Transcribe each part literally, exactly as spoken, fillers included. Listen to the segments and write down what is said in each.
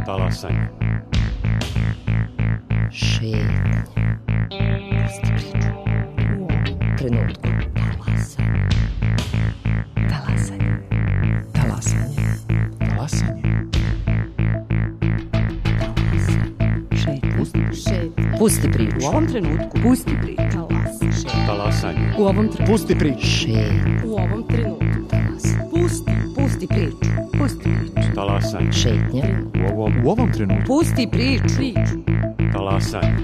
Talasanje. Šetnja. Pusti priču. U ovom trenutku. Talasanje. Talasanje. Talasanje. Šetnja. Pusti priču. U ovom trenutku. Pusti priču. Talasanje. U ovom trenutku. Pusti priču. Šetnja. U ovom trenutku. Pusti. Pusti priču. Pusti priču. Talasanje. Šetnja. U ovom, U ovom trenutku. Pusti priču. Priču. talasanje.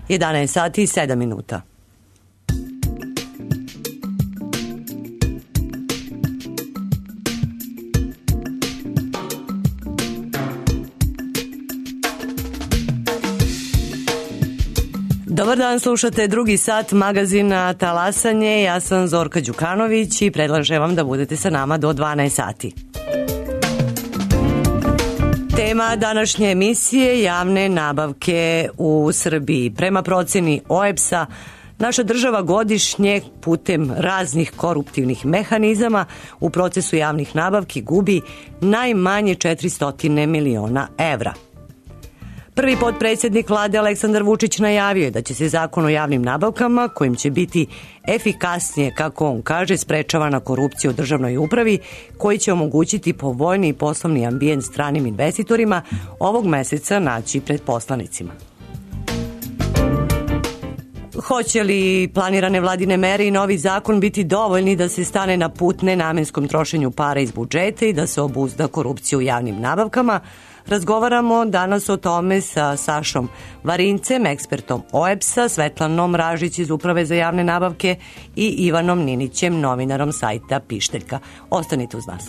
jedanaest sati i sedam minuta. Dobar dan, slušate drugi sat magazina Talasanje. Ja sam Zorka Đukanović i predlažem vam da budete sa nama do dvanaest sati. Tema današnje emisije: javne nabavke u Srbiji. Prema proceni O E B S-a, naša država godišnje putem raznih koruptivnih mehanizama u procesu javnih nabavki gubi najmanje četiristo miliona evra. Prvi potpredsjednik vlade Aleksandar Vučić najavio je da će se zakon o javnim nabavkama, kojim će biti efikasnije, kako on kaže, sprečavana korupcija u državnoj upravi, koji će omogućiti povoljni poslovni ambijent stranim investitorima, ovog meseca naći pred poslanicima. Hoće li planirane vladine mere i novi zakon biti dovoljni da se stane na put nenamenskom trošenju para iz budžeta i da se obuzda korupcija u javnim nabavkama? Razgovaramo danas o tome sa Sašom Varincem, ekspertom O E B S-a, Svetlanom Ražić iz Uprave za javne nabavke i Ivanom Ninićem, novinarom sajta Pišteljka. Ostanite uz nas.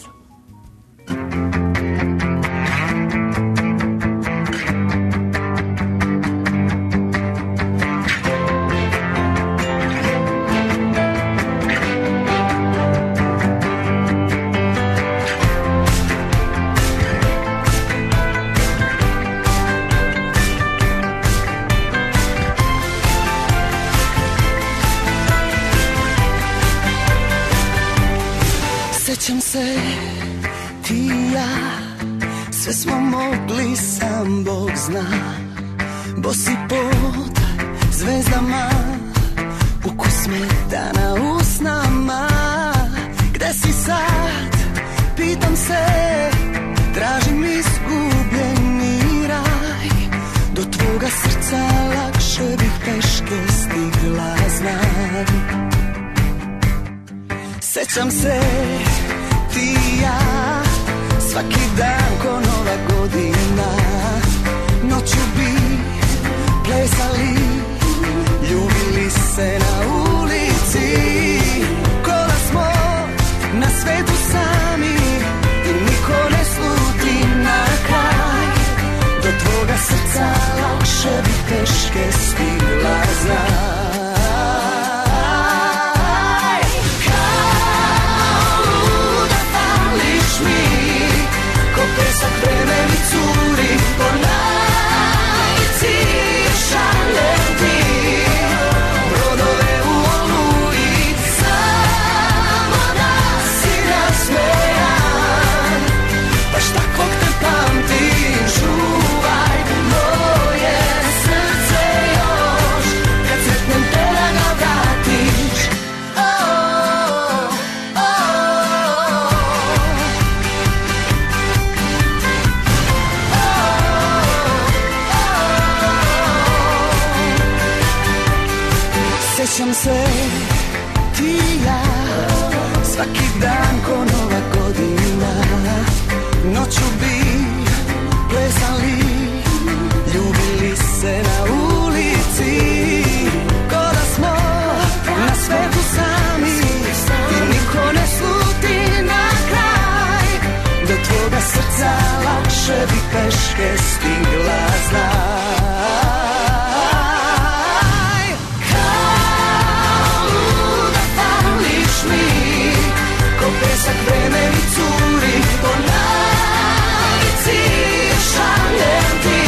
Sjećam se, ti i ja, sve smo mogli, sam Bog zna. Bosi pod zvezdama, ukus metana usnama. Gde si sad, pitam se, tražim izgubljeni raj. Do tvoga srca lakše bih peške stigla, znam. Sjećam se, ti i ja, svaki dan ko nova godina. Noću bi plesali, ljubili se na ulici. Ko da smo na svetu sami i niko ne sluti na kraj. Do tvoga srca lakše bi teške stigla, znam. Pesak vreme mi curi po najci, šaljem ti brodove u oluji, samo da si nasmejan. Baš takvog te pamtim, čuvaj moje srce još, kad sretnem te da ga vratiš. Oh, oh, oh. Sjećam se, ti i ja, svaki dan ko nova godina. Noću bi plesali, ljubili se na ulici. Ko da smo na svetu sami i niko ne sluti na kraj. Do tvoga srca lakše bi peške stigla, znam. pesak vreme mi curi, po navici šaljem ti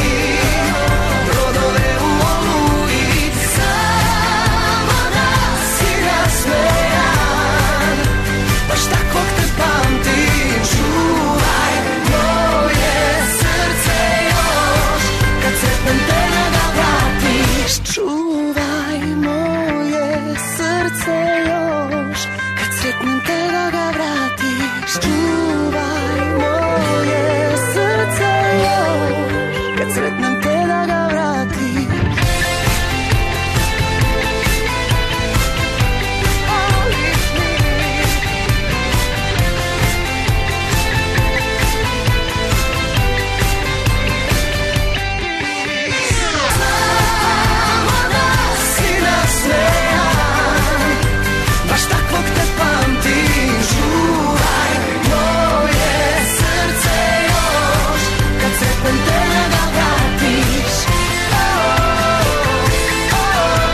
brodove u oluji, samo da si nasmejan, baš takvog te pamtim. Čuvaj moje srce još, kad sretnem te da ga vratiš. Čuvaj moje srce još, kad sretnem te da ga vratiš. Čuvaj moje srce još, kad sretnem te da ga vratiš. Samo da si nasmejan, baš takvog te pamtim. Čuvaj moje srce još, kad sretnem te da ga vratiš. Oh, oh, oh.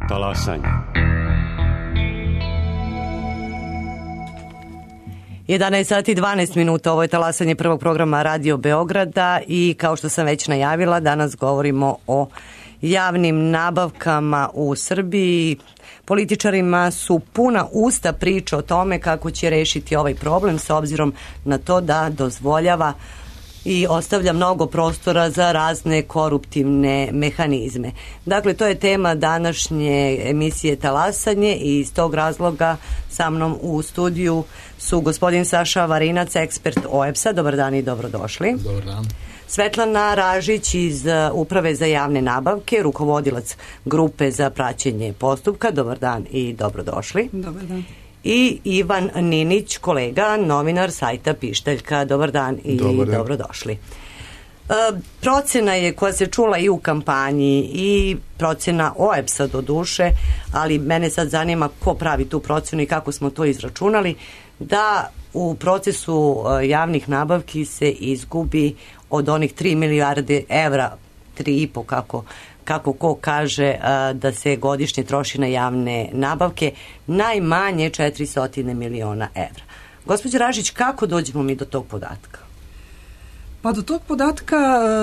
Talasanje. jedanaest sati i dvanaest minuta, ovo je talasanje prvog programa Radio Beograda i kao što sam već najavila, danas govorimo o javnim nabavkama u Srbiji. Političarima su puna usta priča o tome kako će rešiti ovaj problem s obzirom na to da dozvoljava i ostavlja mnogo prostora za razne koruptivne mehanizme. Dakle, to je tema današnje emisije Talasanje i iz tog razloga sa mnom u studiju su gospodin Saša Varinac, ekspert O E B S-a. Dobar dan i dobrodošli. Dobar dan. Svetlana Ražić iz Uprave za javne nabavke, rukovodilac grupe za praćenje postupka. Dobar dan i dobrodošli. Dobar dan. I Ivan Ninić, kolega, novinar sajta Pištaljka. Dobar dan i Dobar dan. dobrodošli. E, procena je koja se čula i u kampanji i procena O E B S-a do duše, ali mene sad zanima ko pravi tu procenu i kako smo to izračunali, da u procesu e, javnih nabavki se izgubi od onih tri milijarde evra, tri i po kako kako ko kaže da se godišnje troši na javne nabavke, najmanje četiristo miliona evra. Gospođo Ražić, kako dođemo mi do tog podatka? Pa do tog podatka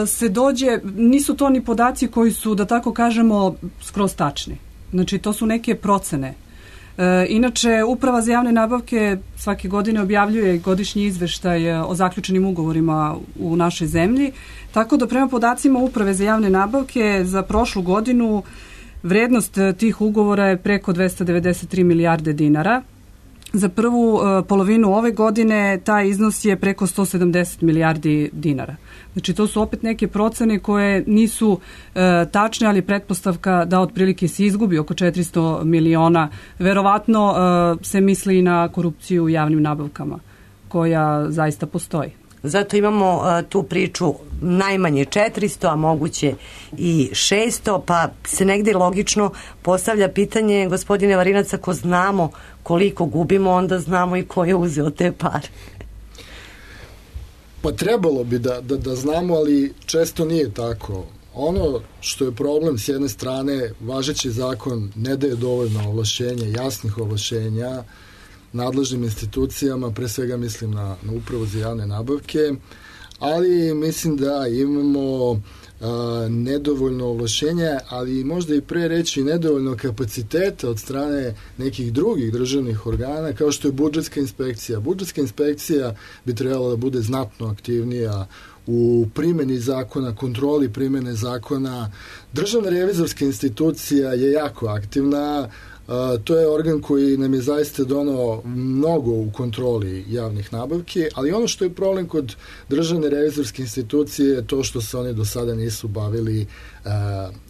se dođe, nisu to ni podaci koji su, da tako kažemo, skroz tačni. Znači, to su neke procene. E, inače, Uprava za javne nabavke svake godine objavljuje godišnji izveštaj o zaključenim ugovorima u našoj zemlji, tako da prema podacima Uprave za javne nabavke za prošlu godinu vrednost tih ugovora je preko dvesta devedeset tri milijarde dinara. Za prvu uh, polovinu ove godine taj iznos je preko sto sedamdeset milijardi dinara. Znači, to su opet neke procene koje nisu uh, tačne, ali pretpostavka da otprilike se izgubi oko četiristo miliona. Verovatno uh, se misli i na korupciju u javnim nabavkama, koja zaista postoji. Zato imamo uh, tu priču najmanje četiristo, a moguće i šesto, pa se negde logično postavlja pitanje, gospodine Varinac, ako znamo koliko gubimo, onda znamo i ko je uzeo te pare. Pa trebalo bi da, da, da znamo, ali često nije tako. Ono što je problem, s jedne strane, važeći zakon ne daje dovoljno ovlašćenja, jasnih ovlašćenja nadležnim institucijama, pre svega mislim na, na Upravu za javne nabavke, ali mislim da imamo a, nedovoljno ovlašćenja, ali možda i pre reći nedovoljno kapaciteta od strane nekih drugih državnih organa, kao što je budžetska inspekcija. Budžetska inspekcija bi trebala da bude znatno aktivnija u primjeni zakona, kontroli primjene zakona. Državna revizorska institucija je jako aktivna. Uh, to je organ koji nam je zaista donao mnogo u kontroli javnih nabavki, ali ono što je problem kod državne revizorske institucije je to što se oni do sada nisu bavili uh,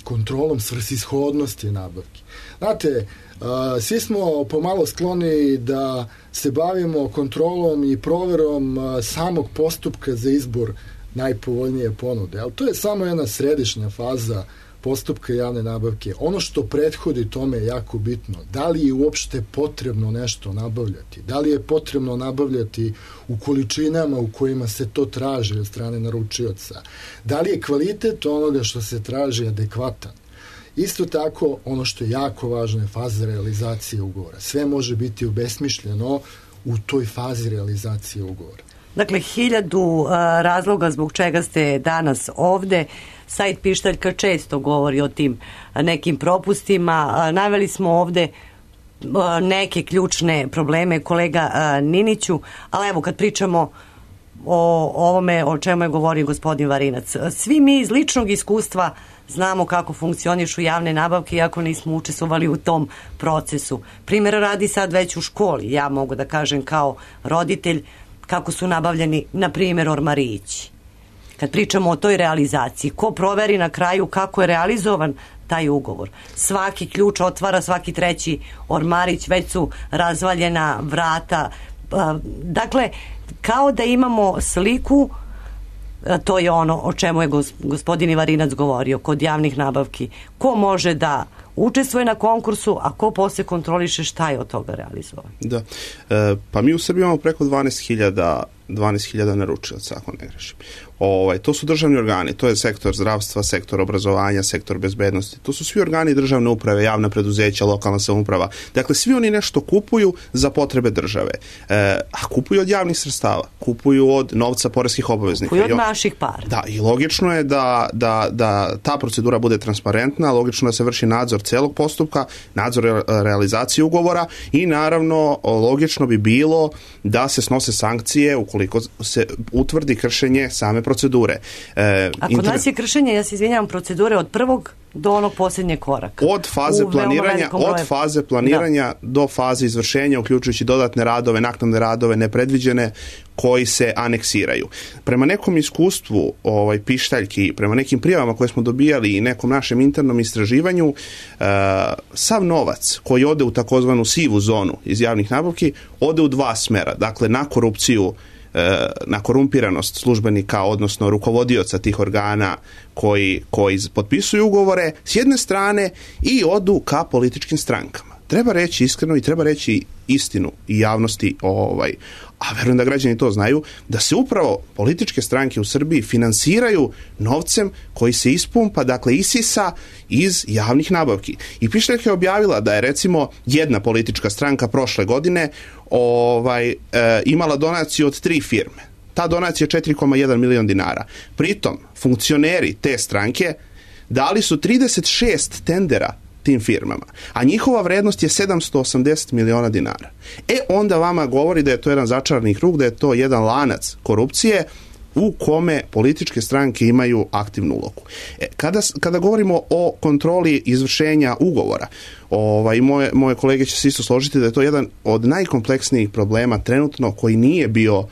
kontrolom svrsishodnosti nabavki. Znate, uh, svi smo pomalo skloni da se bavimo kontrolom i proverom uh, samog postupka za izbor najpovoljnije ponude, ali to je samo jedna središnja faza postupka javne nabavke, ono što prethodi tome je jako bitno. Da li je uopšte potrebno nešto nabavljati? Da li je potrebno nabavljati u količinama u kojima se to traži od strane naručioca? Da li je kvalitet onoga što se traži adekvatan? Isto tako, ono što je jako važno je faza realizacije ugovora. Sve može biti obesmišljeno u toj fazi realizacije ugovora. Dakle, hiljadu uh, razloga zbog čega ste danas ovde. Sajt Pištaljka često govori o tim uh, nekim propustima. Uh, naveli smo ovde uh, neke ključne probleme, kolega uh, Niniću, ali evo kad pričamo o ovome o čemu je govorio gospodin Varinac. Svi mi iz ličnog iskustva znamo kako funkcionišu javne nabavke, iako nismo učestvovali u tom procesu. Primjera radi sad već u školi, ja mogu da kažem kao roditelj, kako su nabavljeni, na primjer, ormarići. Kad pričamo o toj realizaciji, ko proveri na kraju kako je realizovan taj ugovor? Svaki ključ otvara svaki treći ormarić, već su razvaljena vrata. Dakle, kao da imamo sliku, to je ono o čemu je gospodin Ivarinac govorio kod javnih nabavki. Ko može da učestvuje na konkursu, a ko posle kontroliše šta je od toga realizovan? Da. E, pa mi u Srbiji imamo preko dvanaest hiljada naručilaca, ako ne grešim. Ovaj, to su državni organi, to je sektor zdravstva, sektor obrazovanja, sektor bezbednosti. To su svi organi državne uprave, javna preduzeća, lokalna samouprava. Dakle, svi oni nešto kupuju za potrebe države. E, a kupuju od javnih sredstava, kupuju od novca poreskih obaveznika. Kupuju od naših para. Da, i logično je da, da, da ta procedura bude transparentna, logično da se vrši nadzor celog postupka, nadzor realizacije ugovora i naravno logično bi bilo da se snose sankcije ukoliko se utvrdi kršenje same procedure. E, A kod inter... nas je kršenje, ja se izvinjavam, procedure od prvog do onog posljednjeg koraka. Od faze planiranja, od faze planiranja da. do faze izvršenja, uključujući dodatne radove, naknadne radove, nepredviđene, koji se aneksiraju. Prema nekom iskustvu ovaj, Pištaljki, prema nekim prijavama koje smo dobijali i nekom našem internom istraživanju, uh, sav novac koji ode u takozvanu sivu zonu iz javnih nabavki, ode u dva smera. Dakle, na korupciju, na korumpiranost službenika, odnosno rukovodioca tih organa koji, koji potpisuju ugovore s jedne strane i odu ka političkim strankama. Treba reći iskreno i treba reći istinu i javnosti, ovaj, a verujem da građani to znaju, da se upravo političke stranke u Srbiji finansiraju novcem koji se ispumpa, dakle isisa iz javnih nabavki. I Pištaljka je objavila da je recimo jedna politička stranka prošle godine ovaj, e, imala donaciju od tri firme. Ta donacija je četiri zarez jedan milion dinara. Pritom, funkcioneri te stranke dali su trideset šest tendera tim firmama, a njihova vrednost je sedamsto osamdeset miliona dinara. E, onda vama govori da je to jedan začarani krug, da je to jedan lanac korupcije u kome političke stranke imaju aktivnu ulogu. E, kada, kada govorimo o kontroli izvršenja ugovora, ovaj, moje, moje kolege će se isto složiti da je to jedan od najkompleksnijih problema trenutno koji nije bio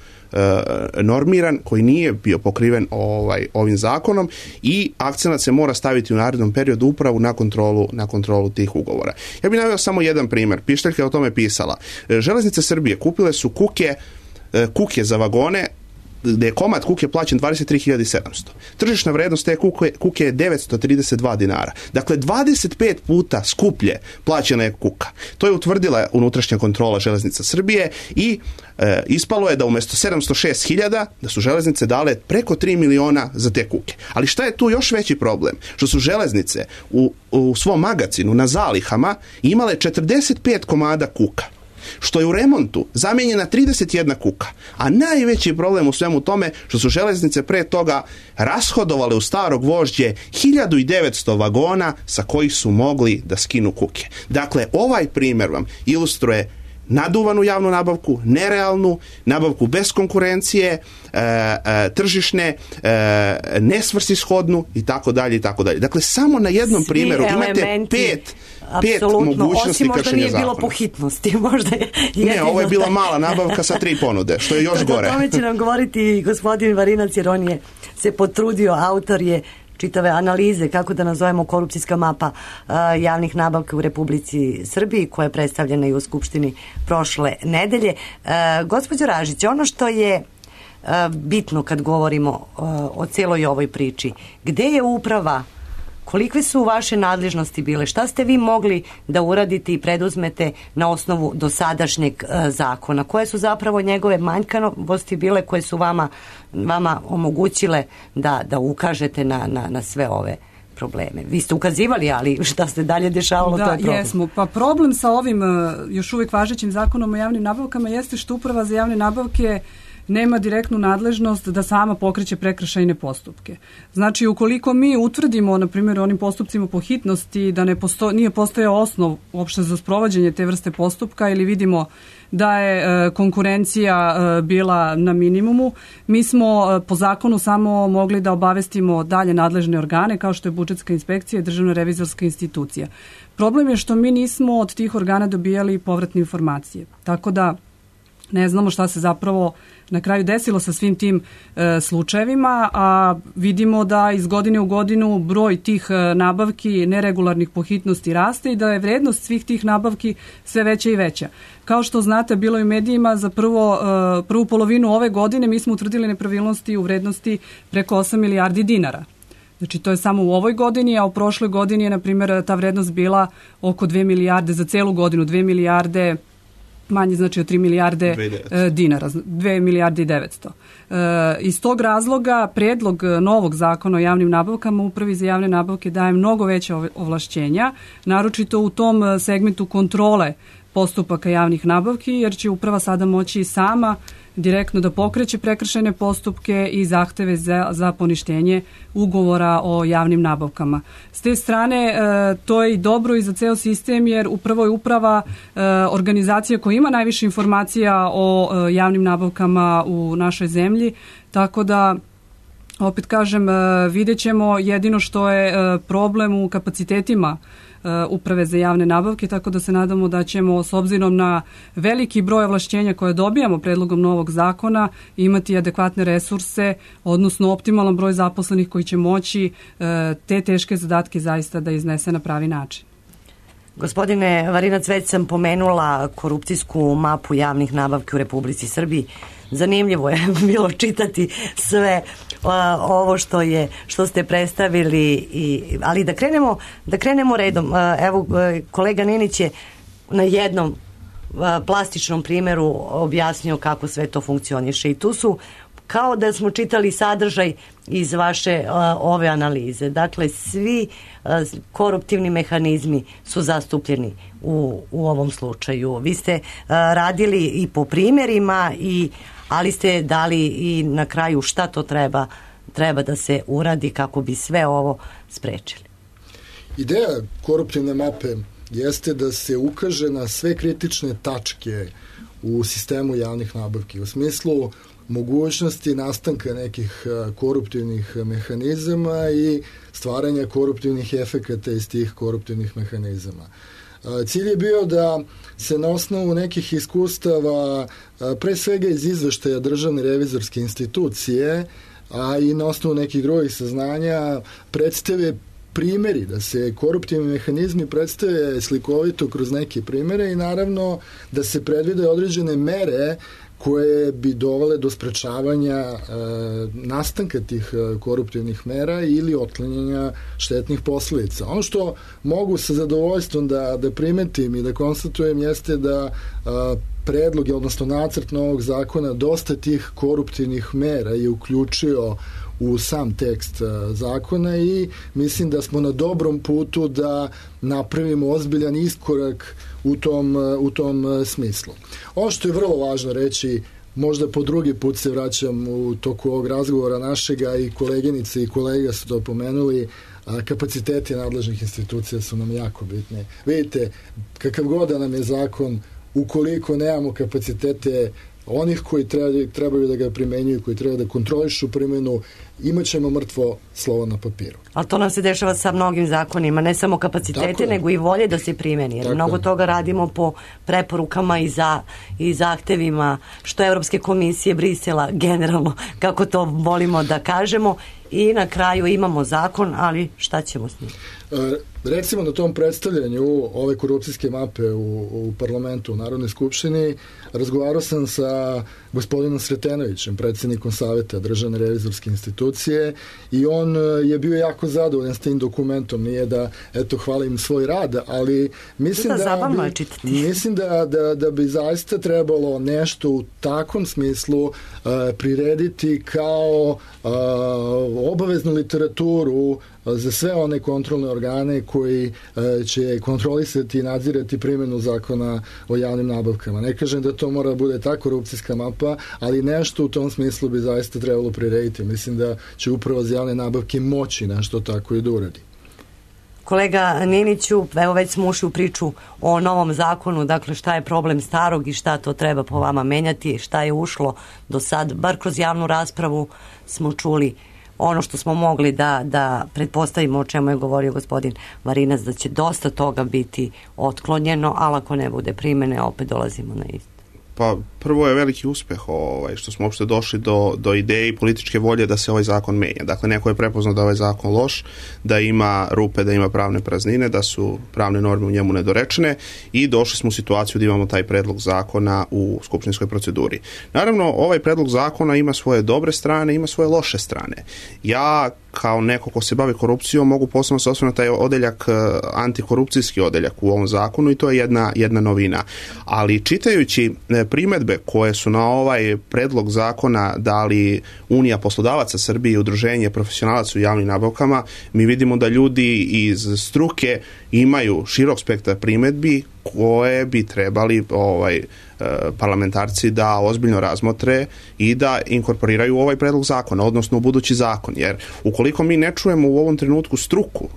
normiran, koji nije bio pokriven ovaj, ovim zakonom i akcenat se mora staviti u narednom periodu upravo na kontrolu, na kontrolu tih ugovora. Ja bih naveo samo jedan primjer. Pištaljka je o tome pisala. Železnice Srbije kupile su kuke, kuke za vagone, gde je komad kuke plaćen dvadeset tri hiljade sedamsto. Tržišna vrednost te kuke, kuke je devetsto trideset dva dinara. Dakle, dvadeset pet puta skuplje plaćena je kuka. To je utvrdila unutrašnja kontrola Železnica Srbije i e, ispalo je da umjesto sedamsto šest hiljada da su železnice dale preko tri miliona za te kuke. Ali šta je tu još veći problem? Što su železnice u, u svom magacinu na zalihama imale četrdeset pet komada kuka, što je u remontu zamijenjena trideset jedna kuka. A najveći problem u svemu tome što su železnice pre toga rashodovale u staro gvožđe hiljadu devetsto vagona sa kojih su mogli da skinu kuke. Dakle, ovaj primjer vam ilustruje naduvanu javnu nabavku, nerealnu, nabavku bez konkurencije, e, e, tržišne, e, nesvrsishodnu i tako dalje i tako dalje. Dakle, samo na jednom Svi primjeru imate pet pet mogućnosti osim možda kršenja nije zakona. Bilo po hitnosti, možda je ne, ovo je bila mala nabavka sa tri ponude, što je još gore. O tome će nam govoriti gospodin Varinac, jer on je se potrudio, autor je čitave analize, kako da nazovemo korupcijska mapa uh, javnih nabavka u Republici Srbiji, koja je predstavljena i u Skupštini prošle nedelje. Uh, gospođo Ražić, ono što je uh, bitno kad govorimo uh, o celoj ovoj priči, gde je uprava Kolikve su vaše nadležnosti bile? Šta ste vi mogli da uradite i preduzmete na osnovu dosadašnjeg e, zakona? Koje su zapravo njegove manjkavosti bile koje su vama, vama omogućile da, da ukažete na, na, na sve ove probleme? Vi ste ukazivali, ali šta ste dalje dešavalo, da, to je problem. Jesmo. Pa problem sa ovim još uvijek važećim zakonom o javnim nabavkama jeste što Uprava za javne nabavke nema direktnu nadležnost da sama pokreće prekršajne postupke. Znači, ukoliko mi utvrdimo, na primjer, onim postupcima po hitnosti da ne posto, nije postojao osnov uopšte za sprovođenje te vrste postupka ili vidimo da je e, konkurencija e, bila na minimumu, mi smo e, po zakonu samo mogli da obavestimo dalje nadležne organe kao što je budžetska inspekcija i državna revizorska institucija. Problem je što mi nismo od tih organa dobijali povratne informacije. Tako da ne znamo šta se zapravo na kraju desilo sa svim tim e, slučajevima, a vidimo da iz godine u godinu broj tih e, nabavki neregularnih po hitnosti raste i da je vrednost svih tih nabavki sve veća i veća. Kao što znate, bilo je u medijima za prvo, e, prvu polovinu ove godine mi smo utvrdili nepravilnosti u vrednosti preko osam milijardi dinara. Znači, to je samo u ovoj godini, a u prošloj godini je, na primjer, ta vrednost bila oko dve milijarde za celu godinu, dve milijarde manje, znači od tri milijarde e, dinara, dve milijarde i devetsto. E, iz tog razloga predlog novog zakona o javnim nabavkama Upravi za javne nabavke daje mnogo veće ovlašćenja, naročito u tom segmentu kontrole postupaka javnih nabavki, jer će uprava sada moći sama direktno da pokreće prekršajne postupke i zahteve za, za poništenje ugovora o javnim nabavkama. S te strane, e, to je i dobro i za ceo sistem, jer upravo je uprava e, organizacija koja ima najviše informacija o e, javnim nabavkama u našoj zemlji, tako da opet kažem, e, vidjet ćemo jedino što je e, problem u kapacitetima Uprave za javne nabavke, tako da se nadamo da ćemo s obzirom na veliki broj ovlašćenja koje dobijamo predlogom novog zakona imati adekvatne resurse, odnosno optimalan broj zaposlenih koji će moći te teške zadatke zaista da iznese na pravi način. Gospodine Varinac, već sam pomenula korupcijsku mapu javnih nabavki u Republici Srbiji. Zanimljivo je bilo čitati sve uh, ovo što je što ste predstavili, i, ali da krenemo, da krenemo redom. Uh, evo, uh, kolega Ninić je na jednom uh, plastičnom primjeru objasnio kako sve to funkcioniše i tu su kao da smo čitali sadržaj iz vaše uh, ove analize. Dakle, svi uh, koruptivni mehanizmi su zastupljeni u, u ovom slučaju. Vi ste uh, radili i po primjerima, i, ali ste dali i na kraju šta to treba, treba da se uradi kako bi sve ovo sprečili. Ideja koruptivne mape jeste da se ukaže na sve kritične tačke u sistemu javnih nabavki, u smislu mogućnosti nastanka nekih koruptivnih mehanizama i stvaranja koruptivnih efekata iz tih koruptivnih mehanizama. Cilj je bio da se na osnovu nekih iskustava, pre svega iz izveštaja Državne revizorske institucije, a i na osnovu nekih drugih saznanja, predstave primjeri, da se koruptivni mehanizmi predstave slikovito kroz neke primjere i naravno da se predvide određene mere koje bi dovele do sprečavanja e, nastanka tih e, koruptivnih mera ili otklanjanja štetnih posledica. Ono što mogu sa zadovoljstvom da, da primetim i da konstatujem jeste da e, predlog, odnosno nacrt novog zakona, dosta tih koruptivnih mera je uključio u sam tekst zakona i mislim da smo na dobrom putu da napravimo ozbiljan iskorak u tom, u tom smislu. Ono što je vrlo važno reći, možda po drugi put se vraćam u toku ovog razgovora našega, i koleginice i kolega su to pomenuli, kapaciteti nadležnih institucija su nam jako bitni. Vidite, kakav god da nam je zakon, ukoliko nemamo kapacitete onih koji trebaju da ga primenjuju, koji treba da kontrolišu primjenu, imat ćemo mrtvo slovo na papiru. Ali to nam se dešava sa mnogim zakonima, ne samo kapacitete, nego i volje da se primeni. Jer mnogo je. Toga radimo po preporukama i, za, i zahtevima, što Evropske komisije, Brisela, generalno, kako to volimo da kažemo, i na kraju imamo zakon, ali šta ćemo s njim? E, recimo na tom predstavljanju ove korupcijske mape u, u parlamentu, u Narodnoj skupštini, razgovarao sam sa sa gospodinom Sretenovićem, predsjednikom Saveta Državne revizorske institucije, i on je bio jako zadovoljan s tim dokumentom. Nije da, eto, hvalim svoj rad, ali mislim da, da, bi, mislim da, da, da bi zaista trebalo nešto u takvom smislu uh, prirediti kao uh, obaveznu literaturu za sve one kontrolne organe koji e, će kontrolisati i nadzirati primjenu zakona o javnim nabavkama. Ne kažem da to mora da bude ta korupcijska mapa, ali nešto u tom smislu bi zaista trebalo prirediti. Mislim da će Uprava za javne nabavke moći nešto tako i da uradi. Kolega Niniću, evo već smo ušli u priču o novom zakonu, dakle šta je problem starog i šta to treba po vama menjati, šta je ušlo do sad, bar kroz javnu raspravu smo čuli ono što smo mogli da, da pretpostavimo, o čemu je govorio gospodin Varinac, da će dosta toga biti otklonjeno, ali ako ne bude primene, opet dolazimo na isto. Pa prvo je veliki uspeh ovaj, što smo uopšte došli do, do ideje i političke volje da se ovaj zakon menja. Dakle, neko je prepoznao da je ovaj zakon loš, da ima rupe, da ima pravne praznine, da su pravne norme u njemu nedorečene i došli smo u situaciju da imamo taj predlog zakona u skupštinskoj proceduri. Naravno, ovaj predlog zakona ima svoje dobre strane, ima svoje loše strane. Ja kao neko ko se bavi korupcijom mogu posebno se osvrnuti taj odeljak, antikorupcijski odeljak u ovom zakonu, i to je jedna, jedna novina. Ali čitajući primedbe koje su na ovaj predlog zakona dali Unija poslodavaca Srbije i Udruženje profesionalaca u javnim nabavkama, mi vidimo da ljudi iz struke imaju širok spektar primedbi koje bi trebali ovaj parlamentarci da ozbiljno razmotre i da inkorporiraju ovaj predlog zakona, odnosno u budući zakon, jer ukoliko mi ne čujemo u ovom trenutku struku,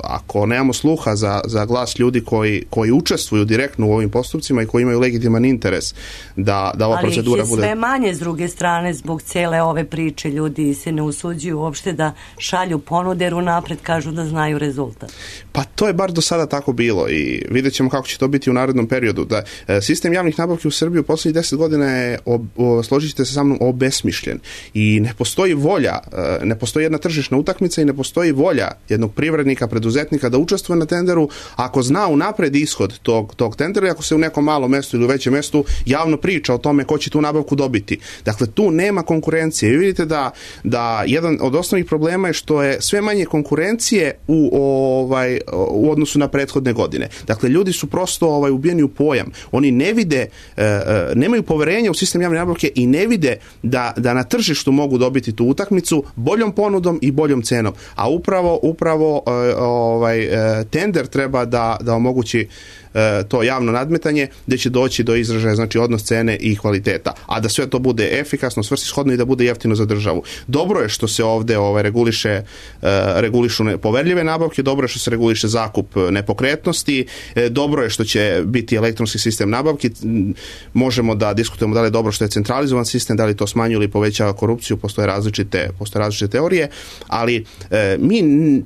ako nemamo sluha za, za glas ljudi koji, koji učestvuju direktno u ovim postupcima i koji imaju legitiman interes da, da ova ali procedura bude... Ali ih je sve manje s druge strane zbog cele ove priče, ljudi se ne usuđuju uopšte da šalju ponude, jer unapred kažu da znaju rezultat. Pa to je bar do sada tako bilo i vidjet ćemo kako će to biti u narednom periodu. Da, sistem javnih nabavki u Srbiji u poslednjih deset godina je, o, o, složit ćete se sa mnom, obesmišljen i ne postoji volja, ne postoji jedna tržišna utakmica i ne postoji volja jednog privrednika, preduzetnika da učestvuje na tenderu ako zna unapred ishod tog, tog tendera i ako se u nekom malom mestu ili u većem mestu javno priča o tome ko će tu nabavku dobiti. Dakle, tu nema konkurencije. Vi vidite da, da jedan od osnovnih problema je što je sve manje konkurencije u, ovaj, u odnosu na prethodne godine. Dakle, ljudi su prosto ovaj, ubijeni u pojam. Oni ne vide, e, nemaju poverenja u sistem javne nabavke i ne vide da, da na tržištu mogu dobiti tu utakmicu boljom ponudom i boljom cenom. A upravo, upravo e, ovaj, e, tender treba da, da omogući to javno nadmetanje gdje će doći do izražaja, znači odnos cene i kvaliteta, a da sve to bude efikasno, svrsishodno i da bude jeftino za državu. Dobro je što se ovdje ovaj, reguliše, uh, regulišu poverljive nabavke, dobro je što se reguliše zakup nepokretnosti, dobro je što će biti elektronski sistem nabavki, možemo da diskutujemo da li je dobro što je centralizovan sistem, da li to smanjuje ili povećava korupciju, postoje različite, postoje različite teorije, ali uh, mi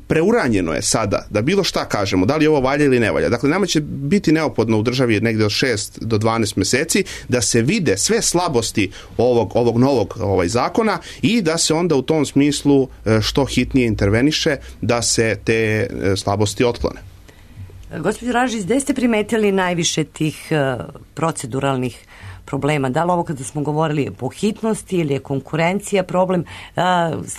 preuranjeno je sada da bilo šta kažemo, da li ovo valja ili ne valja. Dakle, nama će biti biti neophodno u državi negdje od šest do dvanaest mjeseci da se vide sve slabosti ovog, ovog novog ovaj zakona i da se onda u tom smislu što hitnije interveniše da se te slabosti otklone. Gospođo Ražić, gde ste primetili najviše tih uh, proceduralnih problema? Da li ovo kada smo govorili po hitnosti ili je konkurencija problem? Uh,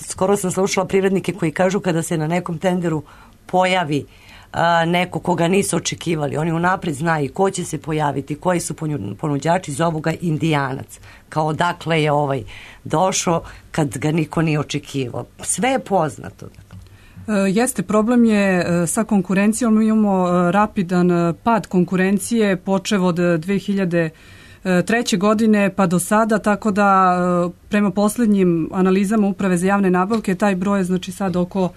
skoro sam slušala privrednike koji kažu kada se na nekom tenderu pojavi A, neko koga nisu očekivali. Oni unapred znaju ko će se pojaviti, koji su ponuđači, zovu ga Indijanac. Kao odakle je ovaj došao kad ga niko nije očekivao. Sve je poznato. Jeste, problem je sa konkurencijom. Mi imamo rapidan pad konkurencije počev od dve hiljade treće godine pa do sada, tako da prema posljednjim analizama Uprave za javne nabavke taj broj je znači sad oko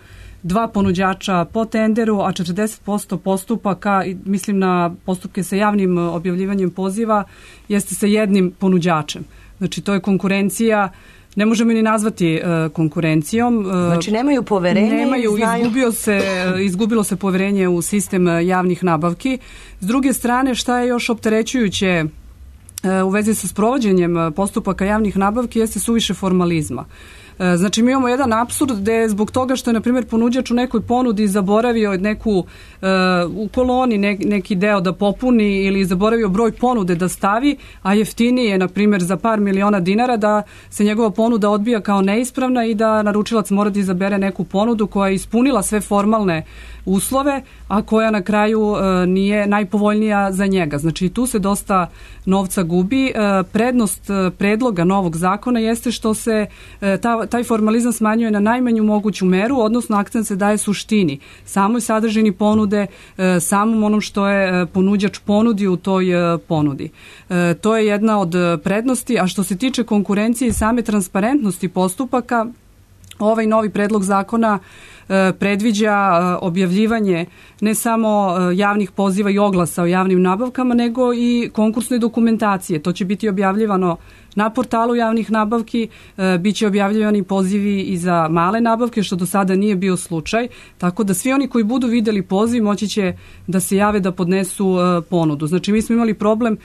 dva ponuđača po tenderu, a četrdeset posto postupaka, mislim na postupke sa javnim objavljivanjem poziva, jeste sa jednim ponuđačem. Znači to je konkurencija, ne možemo ni nazvati uh, konkurencijom. Znači nemaju poverenje? Nemaju, izgubio se, izgubilo se poverenje u sistem javnih nabavki. S druge strane, šta je još opterećujuće u vezi sa sprovođenjem postupaka javnih nabavki jeste suviše formalizma. Znači mi imamo jedan apsurd gde zbog toga što je na primjer ponuđač u nekoj ponudi zaboravio neku uh, u koloni ne, neki deo da popuni ili zaboravio broj ponude da stavi, a jeftinije je na primjer za par miliona dinara da se njegova ponuda odbija kao neispravna i da naručilac mora da izabere neku ponudu koja je ispunila sve formalne uslove, a koja na kraju uh, nije najpovoljnija za njega. Znači tu se dosta novca gubi. Uh, prednost uh, predloga novog zakona jeste što se uh, ta, taj formalizam smanjuje na najmanju moguću meru, odnosno akcent se daje suštini, samoj sadržini ponude, uh, samom onom što je uh, ponuđač ponudio u toj uh, ponudi. Uh, to je jedna od prednosti, a što se tiče konkurencije i same transparentnosti postupaka, ovaj novi predlog zakona predviđa objavljivanje ne samo javnih poziva i oglasa o javnim nabavkama, nego i konkursne dokumentacije. To će biti objavljivano na portalu javnih nabavki, bit će objavljivani pozivi i za male nabavke, što do sada nije bio slučaj, tako da svi oni koji budu videli poziv moći će da se jave da podnesu ponudu. Znači mi smo imali problem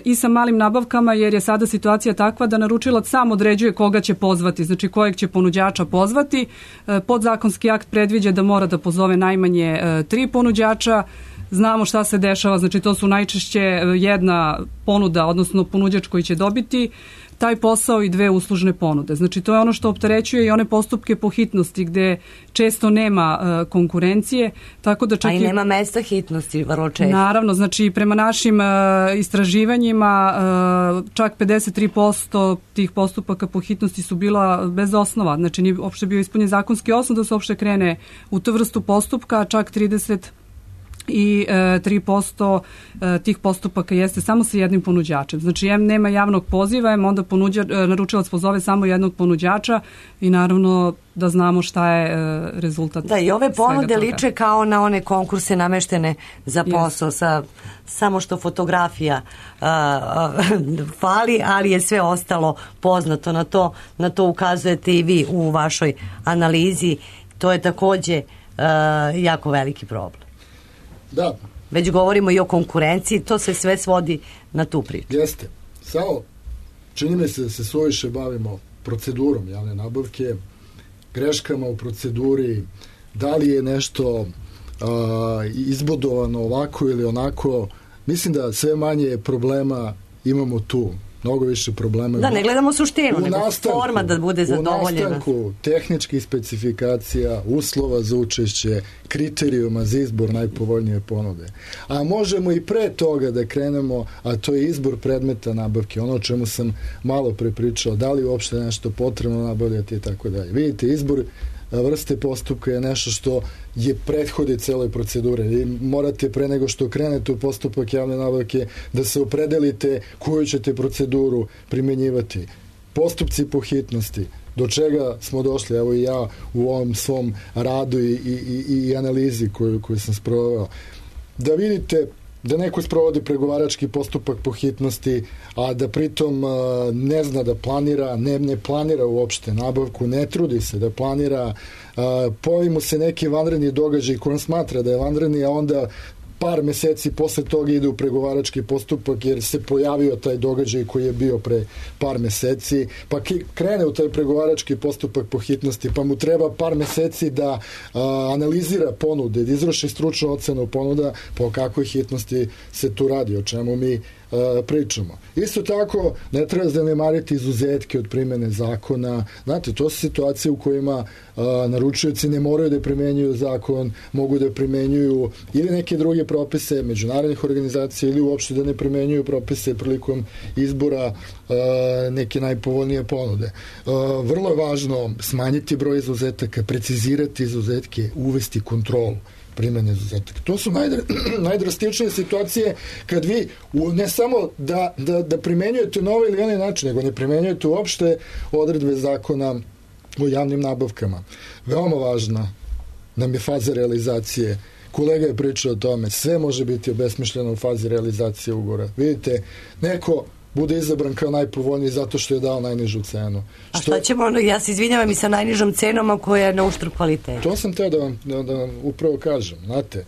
i sa malim nabavkama, jer je sada situacija takva da naručilac sam određuje koga će pozvati, znači kojeg će ponuđača pozvati. Podzakonski akt predviđa da mora da pozove najmanje tri ponuđača. Znamo šta se dešava, znači to su najčešće jedna ponuda, odnosno ponuđač koji će dobiti taj posao i dve uslužne ponude. Znači to je ono što opterećuje i one postupke po hitnosti gde često nema uh, konkurencije, tako da čak a i nema mesta hitnosti vrlo često. Naravno, znači prema našim uh, istraživanjima uh, čak pedeset tri posto tih postupaka po hitnosti su bila bez osnova, znači nije uopšte bio ispunjen zakonski osnov da se uopšte krene u tu vrstu postupka, a čak trideset i tri posto tih postupaka jeste samo sa jednim ponuđačem. Znači, em nema javnog poziva, em onda ponuđa, naručilac pozove samo jednog ponuđača i naravno da znamo šta je rezultat. Da, i ove ponude liče kao na one konkurse nameštene za posao, yes. sa samo što fotografija uh, uh, fali, ali je sve ostalo poznato. Na to, na to ukazujete i vi u vašoj analizi. To je takođe uh, jako veliki problem. Da. Već govorimo i o konkurenciji, to se sve svodi na tu priču. Jeste. Samo čini mi se da se suviše bavimo procedurom javne nabavke, greškama u proceduri, da li je nešto a, izbodovano ovako ili onako. Mislim da sve manje problema imamo tu. Mnogo više problema. Da, ne gledamo suštinu, nego nastanku, forma da bude zadovoljena. U nastanku tehničkih specifikacija, uslova za učešće, kriterijuma za izbor najpovoljnije ponude. A možemo i pre toga da krenemo, a to je izbor predmeta nabavke, ono o čemu sam malo prepričao, da li uopšte nešto potrebno nabavljati i tako dalje. Vidite, izbor vrste postupka je nešto što je prethodi celoj procedure. Vi morate pre nego što krenete u postupak javne nabavke da se opredelite koju ćete proceduru primenjivati. Postupci po hitnosti, do čega smo došli, evo i ja u ovom svom radu i, i, i, i analizi koju, koju sam sproveo. Da vidite da neko sprovodi pregovarački postupak po hitnosti, a da pritom ne zna da planira, ne, ne planira uopšte nabavku, ne trudi se da planira, pojavi mu se neki vanredni događaj koji on smatra da je vanredni, a onda par meseci posle toga ide u pregovarački postupak jer se pojavio taj događaj koji je bio pre par meseci, pa krene u taj pregovarački postupak po hitnosti, pa mu treba par meseci da a, analizira ponude, da izvrši stručnu ocenu ponuda, po kakvoj hitnosti se tu radi, o čemu mi a, pričamo. Isto tako, ne treba zanemariti izuzetke od primene zakona. Znate, to su situacije u kojima a, naručioci ne moraju da primenjuju zakon, mogu da primenjuju ili neke druge propise međunarodnih organizacija ili uopšte da ne primenjuju propise prilikom izbora uh, neke najpovoljnije ponude. Uh, vrlo je važno smanjiti broj izuzetaka, precizirati izuzetke, uvesti kontrolu primene izuzetaka. To su najdra, najdrastičnije situacije kad vi u, ne samo da, da, da primenjujete na ovaj ili onaj način, nego ne primenjujete uopšte odredbe zakona o javnim nabavkama. Veoma važna nam je faza realizacije. Kolega je pričao o tome, sve može biti obesmišljeno u fazi realizacije ugovora. Vidite, neko bude izabran kao najpovoljniji zato što je dao najnižu cenu. A što... šta ćemo, ja se izvinjavam i sa najnižom cenom koja je na uštrb kvaliteta. To sam teo da vam, da, da vam upravo kažem. Znate,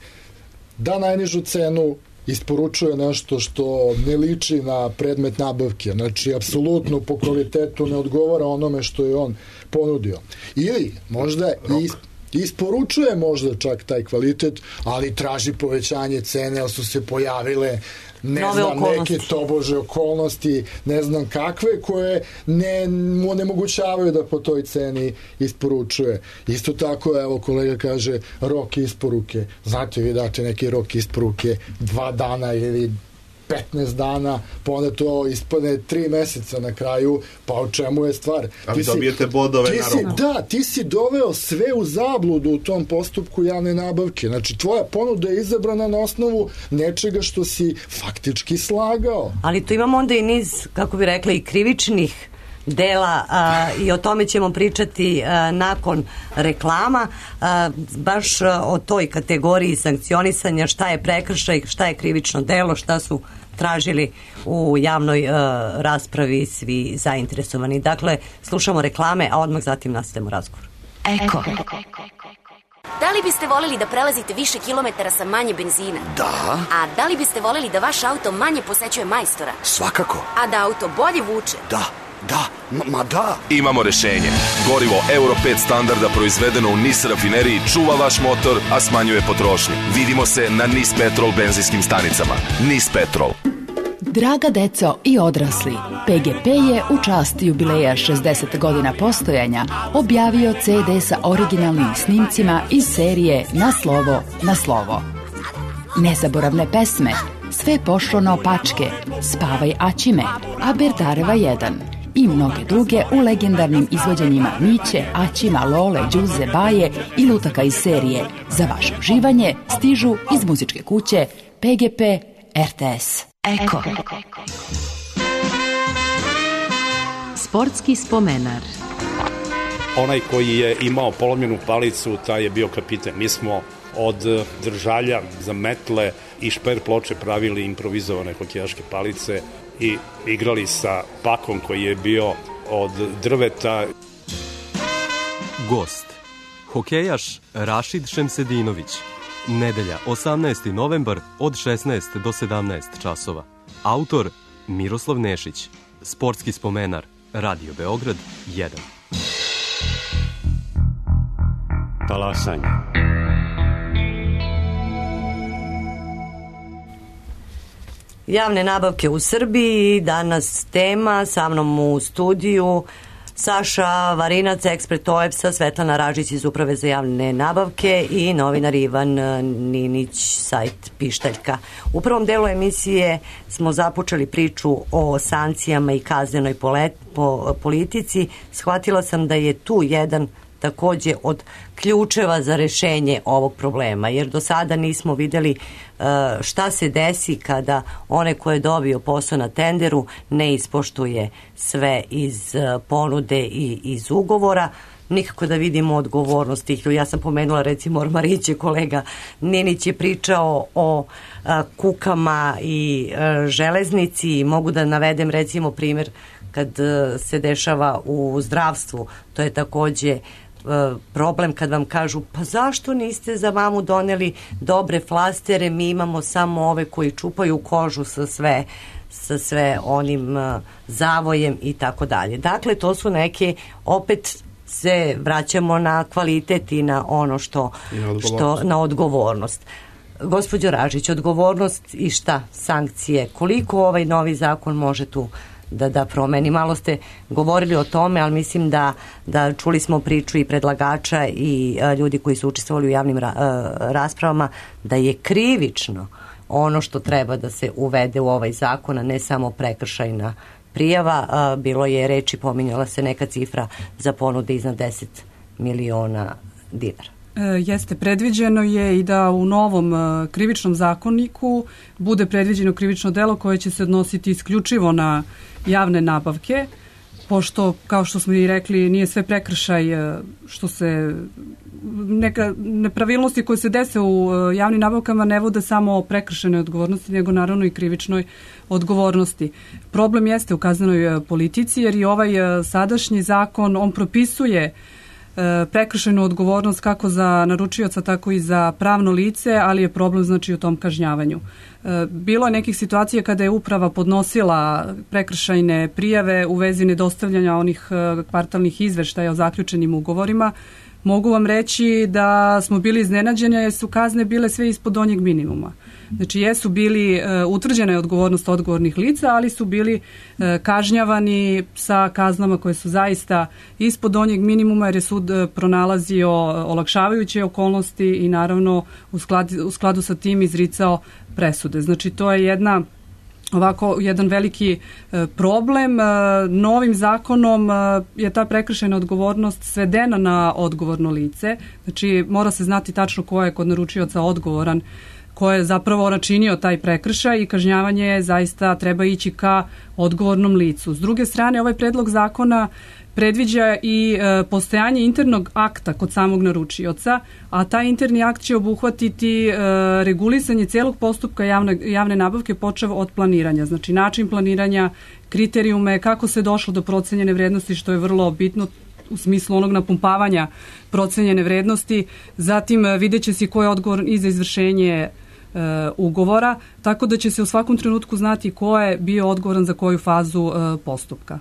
da najnižu cenu, isporučuje nešto što ne liči na predmet nabavke, znači apsolutno po kvalitetu ne odgovara onome što je on ponudio. Ili možda i isporučuje možda čak taj kvalitet, ali traži povećanje cene, ali su se pojavile ne Nove znam, okolnosti. neke tobože okolnosti, ne znam kakve, koje ne, mu onemogućavaju da po toj ceni isporučuje. Isto tako, evo, kolega kaže, rok isporuke. Znate, vi date neki rok isporuke dva dana ili petnaest dana, pa onda to ispadne tri meseca na kraju, pa o čemu je stvar? Ali Ti si- dobijete bodove ti na si- roku. Da, ti si doveo sve u zabludu u tom postupku javne nabavke. Znači, tvoja ponuda je izabrana na osnovu nečega što si faktički slagao. Ali tu imamo onda i niz, kako bi rekla, i krivičnih dela a, i o tome ćemo pričati a, nakon reklama, a, baš a, o toj kategoriji sankcionisanja, šta je prekršaj, šta je krivično delo, šta su tražili u javnoj a, raspravi svi zainteresovani. Dakle, slušamo reklame, a odmah zatim nastavimo razgovor. Eko. Da li biste voleli da prelazite više kilometara sa manje benzina? Da, A da li biste voleli da vaš auto manje posećuje majstora? svakako. A da auto bolje vuče? Da, da, ma, ma da. Imamo rešenje. Gorivo Euro pet standarda proizvedeno u NIS rafineriji čuva vaš motor, a smanjuje potrošnju. Vidimo se na NIS Petrol benzinskim stanicama. NIS Petrol. Draga deco i odrasli, P G P je u čast jubileja šezdeset godina postojanja objavio ce de sa originalnim snimcima iz serije Na slovo, na slovo. Nezaboravne pesme, Sve pošlo naopačke, Spavaj Aćime, Aberdareva jedan i mnoge druge u legendarnim izvođenjima Miće, Aćima, Lole, Đuze, Baje i lutaka iz serije. Za vaše uživanje stižu iz muzičke kuće P G P R T S. Eko. Sportski spomenar. Onaj koji je imao polomljenu palicu, taj je bio kapiten. Mi smo od držalja za metle i šper ploče pravili improvizovane hokejaške palice i igrali sa pakom koji je bio od drveta. Gost. Hokejaš Rašid Šemsedinović. Nedelja, osamnaesti novembar od šesnaest do sedamnaest časova. Autor Miroslav Nešić. Sportski spomenar. Radio Beograd jedan. Talasanje. Javne nabavke u Srbiji, danas tema, sa mnom u studiju Saša Varinac, ekspert O E P S-a, Svetlana Ražić iz Uprave za javne nabavke i novinar Ivan Ninić, sajt Pištaljka. U prvom delu emisije smo započeli priču o sankcijama i kaznenoj politici. Shvatila sam da je tu jedan takođe od ključeva za rešenje ovog problema, jer do sada nismo videli šta se desi kada one koje je dobio posao na tenderu ne ispoštuje sve iz ponude i iz ugovora. Nikako da vidimo odgovornost tih ljudi. Ja sam pomenula recimo Ormariće, kolega Ninić je pričao o a, kukama i a, železnici. Mogu da navedem recimo primjer kad a, se dešava u zdravstvu. To je takođe problem kad vam kažu pa zašto niste za mamu doneli dobre flastere, mi imamo samo ove koji čupaju kožu sa sve sa sve onim uh, zavojem i tako dalje. Dakle, to su neke, opet se vraćamo na kvalitet i na ono što, što na odgovornost. Gospođo Ražić, odgovornost i šta? Sankcije. Koliko ovaj novi zakon može tu da, da promeni? Malo ste govorili o tome, ali mislim da, da čuli smo priču i predlagača i a, ljudi koji su učestvovali u javnim ra, a, raspravama, da je krivično ono što treba da se uvede u ovaj zakon, a ne samo prekršajna prijava. A, bilo je reči, pominjala se neka cifra za ponude iznad deset miliona dinara. E, jeste, predviđeno je i da u novom e, krivičnom zakoniku bude predviđeno krivično delo koje će se odnositi isključivo na javne nabavke, pošto, kao što smo i rekli, nije sve prekršaj e, što se neka nepravilnosti koje se dese u e, javnim nabavkama ne vode samo o prekršajnoj odgovornosti, nego naravno i krivičnoj odgovornosti. Problem jeste u kaznenoj e, politici, jer i ovaj e, sadašnji zakon, on propisuje prekršajnu odgovornost kako za naručioca, tako i za pravno lice, ali je problem znači u tom kažnjavanju. Bilo je nekih situacija kada je uprava podnosila prekršajne prijave u vezi nedostavljanja onih kvartalnih izveštaja o zaključenim ugovorima. Mogu vam reći da smo bili iznenađeni jer su kazne bile sve ispod donjeg minimuma. Znači jesu bili, utvrđena je odgovornost odgovornih lica, ali su bili kažnjavani sa kaznama koje su zaista ispod donjeg minimuma jer je sud pronalazio olakšavajuće okolnosti i naravno u skladu, u skladu sa tim izricao presude. Znači to je jedna ovako jedan veliki problem. Novim zakonom je ta prekršajna odgovornost svedena na odgovorno lice. Znači mora se znati tačno ko je kod naručioca odgovoran, ko je zapravo načinio taj prekršaj i kažnjavanje zaista treba ići ka odgovornom licu. S druge strane, ovaj predlog zakona predviđa i e, postojanje internog akta kod samog naručioca, a taj interni akt će obuhvatiti e, regulisanje celog postupka javne, javne nabavke počev od planiranja. Znači način planiranja, kriterijume, kako se došlo do procenjene vrednosti, što je vrlo bitno u smislu onog napumpavanja procenjene vrednosti. Zatim vidjet će se ko je odgovoran i za izvršenje e, ugovora, tako da će se u svakom trenutku znati ko je bio odgovoran za koju fazu e, postupka.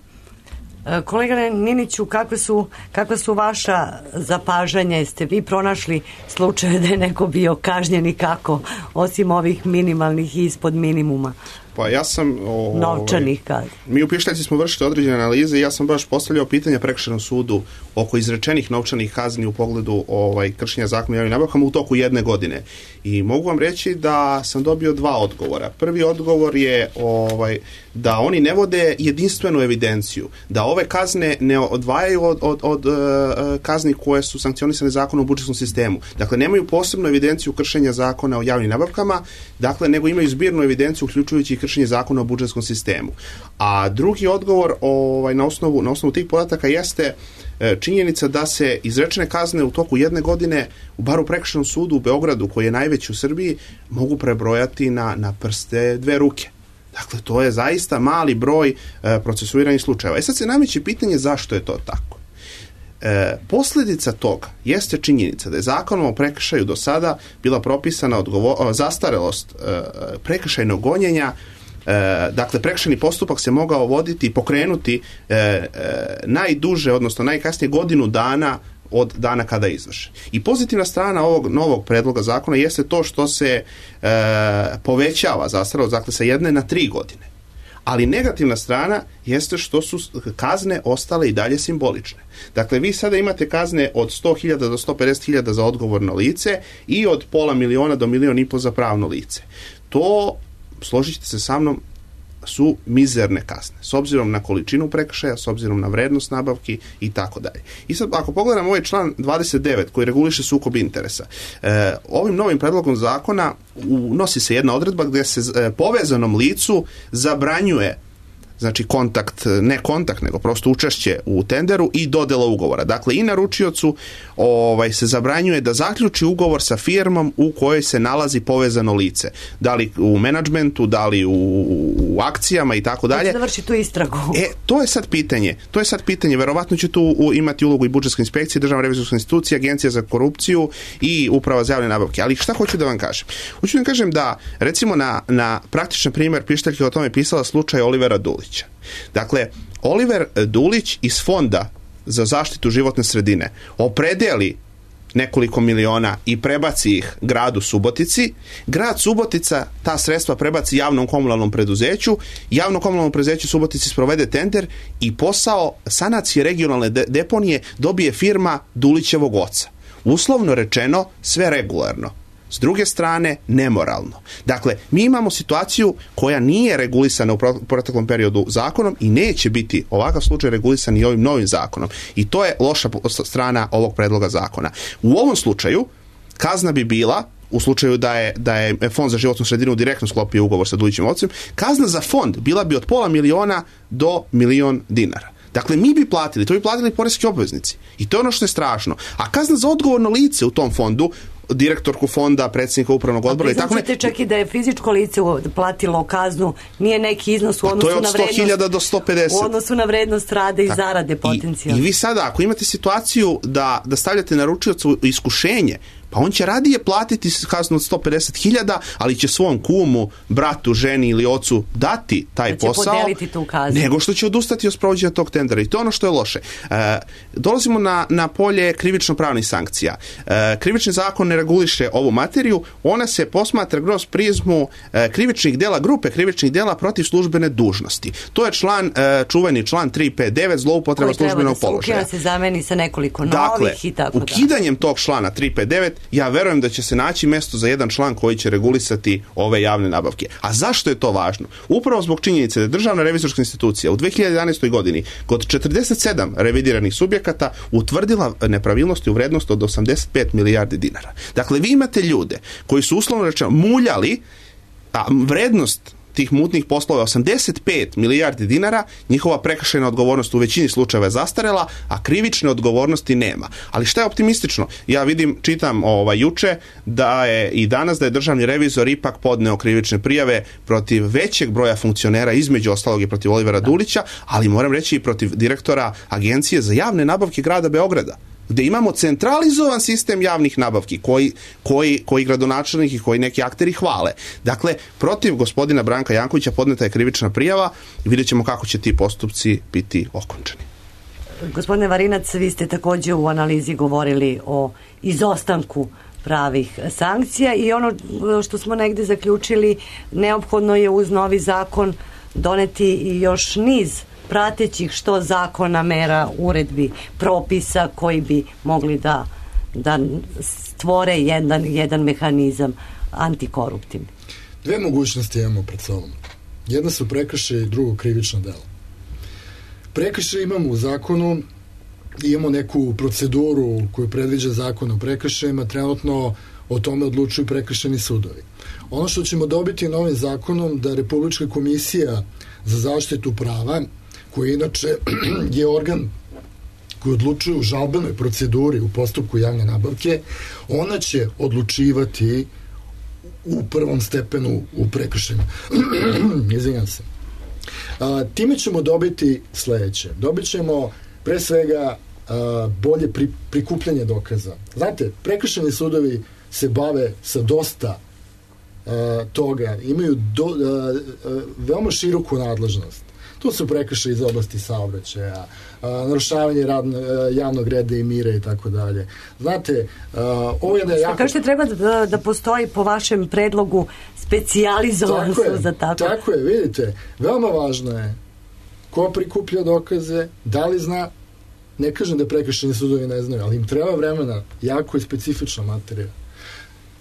Kolega Niniću, kakve su, kakve su vaša zapažanja? Jeste vi pronašli slučaje da je neko bio kažnjen i kako, osim ovih minimalnih i ispod minimuma? Pa ja sam... O, novčanih kazni. Mi u Pištaljci smo vršili određene analize i ja sam baš postavljao pitanja prekršajnom sudu oko izrečenih novčanih kazni u pogledu ovaj, kršenja zakona o javnim nabavkama u toku jedne godine. I mogu vam reći da sam dobio dva odgovora. Prvi odgovor je ovaj, da oni ne vode jedinstvenu evidenciju, da ove kazne ne odvajaju od, od, od uh, kazni koje su sankcionisane zakonom o budžetskom sistemu. Dakle, nemaju posebnu evidenciju kršenja zakona o javnim nabavkama, dakle, nego imaju zbirnu evidenciju uključujući kršenje zakona o budžetskom sistemu. A drugi odgovor ovaj, na, osnovu, na osnovu tih podataka jeste e, činjenica da se izrečene kazne u toku jedne godine, u bar u prekršajnom sudu u Beogradu, koji je najveći u Srbiji, mogu prebrojati na, na prste dve ruke. Dakle, to je zaista mali broj e, procesuiranih slučajeva. E sad se nameće pitanje zašto je to tako. E, posljedica toga jeste činjenica da je zakonom o prekršaju do sada bila propisana odgovor, zastarelost e, prekršajnog gonjenja. E, dakle, prekršajni postupak se mogao voditi i pokrenuti e, e, najduže, odnosno najkasnije godinu dana od dana kada je izvršen. I pozitivna strana ovog novog predloga zakona jeste to što se e, povećava zastarelost, dakle, sa jedne na tri godine. Ali negativna strana jeste što su kazne ostale i dalje simbolične. Dakle, vi sada imate kazne od sto hiljada do sto pedeset hiljada za odgovorno lice i od pola miliona do milion i po za pravno lice. To, složit ćete se sa mnom, su mizerne kazne, s obzirom na količinu prekršaja, s obzirom na vrednost nabavki i tako dalje. I sad, ako pogledamo ovaj član dvadeset devet koji reguliše sukob interesa, e, ovim novim predlogom zakona unosi se jedna odredba gdje se e, povezanom licu zabranjuje, znači kontakt, ne kontakt, nego prosto učešće u tenderu i dodela ugovora. Dakle, i naručiocu ovaj, se zabranjuje da zaključi ugovor sa firmom u kojoj se nalazi povezano lice. Da li u menadžmentu, da li u, u akcijama i tako dalje. Da vrši tu istragu. E, to je sad pitanje. To je sad pitanje. Verovatno će tu u, imati ulogu i budžetska inspekcija, državna revizorska institucija, agencija za korupciju i uprava za javne nabavke. Ali šta hoću da vam kažem? Hoću da vam kažem da, recimo, na, na praktičan primjer Pištaljke o tome pisala slučaj Olivera Dulića. Dakle, Oliver Dulić iz Fonda za zaštitu životne sredine opredeli nekoliko miliona i prebaci ih gradu Subotici. Grad Subotica ta sredstva prebaci javnom komunalnom preduzeću, javno komunalno preduzeće Subotici sprovede tender i posao sanacije regionalne de- deponije dobije firma Dulićevog oca. Uslovno rečeno, sve regularno. S druge strane, nemoralno. Dakle, mi imamo situaciju koja nije regulisana u proteklom periodu zakonom i neće biti ovakav slučaj regulisan i ovim novim zakonom. I to je loša strana ovog predloga zakona. U ovom slučaju, kazna bi bila, u slučaju da je, da je Fond za životnu sredinu direktno sklopio ugovor sa Dulićevim ocem, kazna za fond bila bi od pola miliona do milion dinara. Dakle, mi bi platili, to bi platili poreski obveznici. I to je ono što je strašno. A kazna za odgovorno lice u tom fondu direktorku fonda, predsjednika upravnog odbora i tako ne. Priznaćete čak i da je fizičko lice platilo kaznu, nije neki iznos u odnosu na vrednost. To je od sto hiljada do sto pedeset. U odnosu na vrednost rada i tako, zarade potencijalno. I, I vi sada, ako imate situaciju da, da stavljate naručiocu iskušenje, pa on će radije platiti kaznu od sto pedeset hiljada, ali će svom kumu, bratu, ženi ili ocu dati taj da će posao, podeliti tu kaznu, nego što će odustati od sprovođenja tog tendera. I to je ono što je loše. E, dolazimo na, na polje krivično-pravnih sankcija. E, krivični zakon ne reguliše ovu materiju, ona se posmatra kroz prizmu e, krivičnih dela, grupe krivičnih dela protiv službene dužnosti. To je član, e, čuveni član tri pet devet, zloupotreba službenog položaja. Koji treba da se se zameni sa nekoliko novih dakle, i tako da. Ukidanjem tog člana tri pet devet ja verujem da će se naći mesto za jedan član koji će regulisati ove javne nabavke. A zašto je to važno? Upravo zbog činjenice da je Državna revizorska institucija u dve hiljade jedanaestoj. godini kod četrdeset sedam revidiranih subjekata utvrdila nepravilnosti u vrednosti od osamdeset pet milijardi dinara. Dakle, vi imate ljude koji su uslovno rečeno muljali, a vrednost tih mutnih poslova je osamdeset pet milijardi dinara, njihova prekršajna odgovornost u većini slučajeva je zastarela, a krivične odgovornosti nema. Ali šta je optimistično? Ja vidim, čitam ovaj, juče da je i danas da je državni revizor ipak podneo krivične prijave protiv većeg broja funkcionera, između ostalog i protiv Olivera Dulića, ali moram reći i protiv direktora Agencije za javne nabavke grada Beograda, gde imamo centralizovan sistem javnih nabavki koji, koji, koji gradonačelnik i koji neki akteri hvale. Dakle, protiv gospodina Branka Jankovića podneta je krivična prijava i vidjet ćemo kako će ti postupci biti okončani. Gospodine Varinac, vi ste također u analizi govorili o izostanku pravih sankcija i ono što smo negde zaključili, neophodno je uz novi zakon doneti i još niz pratećih što zakona, mera, uredbi, propisa koji bi mogli da, da stvore jedan, jedan mehanizam antikoruptivni. Dve mogućnosti imamo pred sobom. Jedna su prekršaj i drugo krivično delo. Prekršaj imamo u zakonu, imamo neku proceduru koju predviđa zakon o prekršajima, trenutno o tome odlučuju prekršajni sudovi. Ono što ćemo dobiti novim zakonom da Republička komisija za zaštitu prava, koji inače je organ koji odlučuje u žalbenoj proceduri u postupku javne nabavke, ona će odlučivati u prvom stepenu u prekršajima. Izvinjam se. A, time ćemo dobiti sledeće. Dobit ćemo pre svega a, bolje pri, prikupljanje dokaza. Znate, prekršajni sudovi se bave sa dosta a, toga. Imaju do, a, a, veoma široku nadležnost. Tu su prekršaji iz oblasti saobraćaja, narušavanje radno, javnog reda i mira i tako dalje. Znate, ovo je da je jako... Kažete, treba da, da postoji po vašem predlogu specijalizovan sud za tako. Tako je, vidite, veoma važno je ko prikuplja dokaze, da li zna, ne kažem da prekršajni sudovi ne znaju, ali im treba vremena, jako je specifična materija.